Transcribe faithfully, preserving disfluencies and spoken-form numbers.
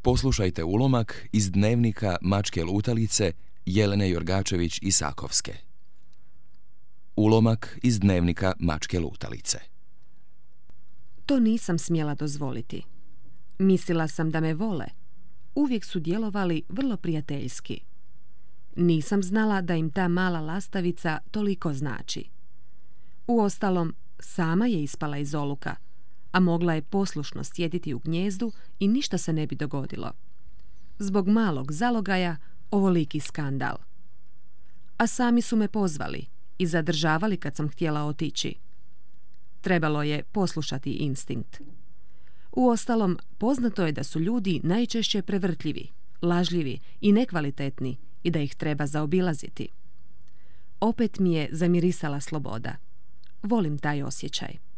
Poslušajte ulomak iz dnevnika Mačke lutalice Jelene Jorgačević-Isakovske. Ulomak iz dnevnika Mačke lutalice. To nisam smjela dozvoliti. Mislila sam da me vole. Uvijek su djelovali vrlo prijateljski. Nisam znala da im ta mala lastavica toliko znači. Uostalom, sama je ispala iz oluka, a mogla je poslušno sjediti u gnijezdu i ništa se ne bi dogodilo. Zbog malog zalogaja ovoliki skandal. A sami su me pozvali i zadržavali kad sam htjela otići. Trebalo je poslušati instinkt. Uostalom, poznato je da su ljudi najčešće prevrtljivi, lažljivi i nekvalitetni i da ih treba zaobilaziti. Opet mi je zamirisala sloboda. Volim taj osjećaj.